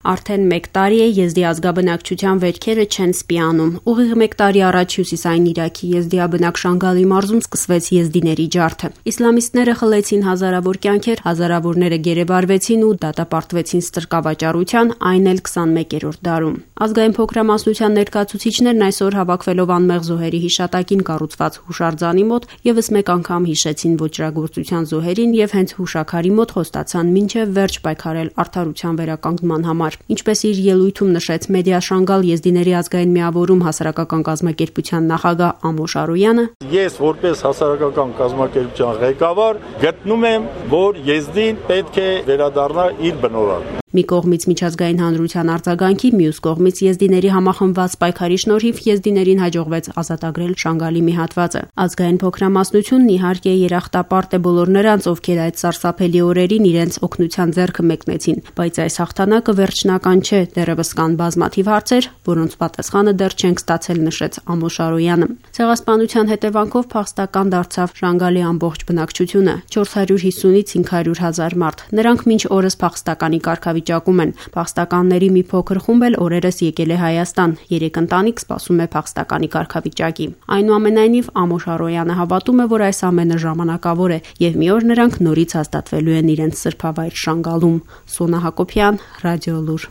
Արդեն 1 տարի է եզդի ազգաբնակչության վերքերը չեն սպիանում։ Ուղիղ 1 տարի առաջ հյուսիսային Իրաքի եզդիաբնակ Շանգալի մարզում սկսվեց եզդիների ջարդը։ Իսլամիստները խլեցին հազարավոր կյանքեր, հազարավորները գերեվարվեցին ու դատապարտվեցին ստրկավաճառության, այն էլ 21-րդ դարում։ Ազգային փոքրամասնության ներկայացուցիչներն այսօր հավաքվելով անմեղ զոհերի հիշատակին կառուցված հուշարձանի մոտ եւս մեկ անգամ հիշեցին ոճրագործության զոհերին եւ հենց հուշաքարի մոտ խոստացան մինչեւ վերջ պայքարել արդարության վերականգնման համար։ Ինչպես իր ելույթում նշեց Մեդիա Շանգալ եզդիների ազգային միավորում հասարակական կազմակերպության նախագահ Ամոշ Արոյանը, ես որպես հասարակական կազմակերպության ղեկավար գտնում եմ, որ եզդին պետք է վերադառնա իր բնօրակ։ Մի կողմից միջազգային հանրության արձագանքի, մյուս կողմից եզդիների համախմբված պայքարի շնորհիվ եզդիներին հաջողվեց ազատագրել Շանգալի մի հատվածը։ Ազգային փոքրամասնությունն իհարկե երախտապարտ է բոլոր նրանց, ովքեր այդ սարսափելի օրերին իրենց օգնության ձեռքը մեկնեցին, բայց այս հաղթանակը վերջնական չէ, դեռևս կան բազմաթիվ հարցեր, որոնց պատասխանը դեռ չենք ստացել, նշեց Ամոշ Արոյանը։ Ցեղասպանության հետևանքով փախստական դարձավ Շանգալի ամբողջ բնակչությունը՝ 450-ից 500 հազար մարդ։ Նրանք մինչ օրս փախստականի կարգավիճակում են։ Փախստականների մի փոքր խումբ էլ օրերս եկել է Հայաստան։ 3 ընտանիք սպասում է փախստականի կարգավիճակի։ Այնուամենայնիվ Ամոշ Արոյանը հավատում է, որ այս ամենը ժամանակավոր է եւ մի օր նրանք նորից հաստատվելու են իրենց սրբավայր Շանգալում։ Սոնա Հակոբյան, Ռադիոլուր։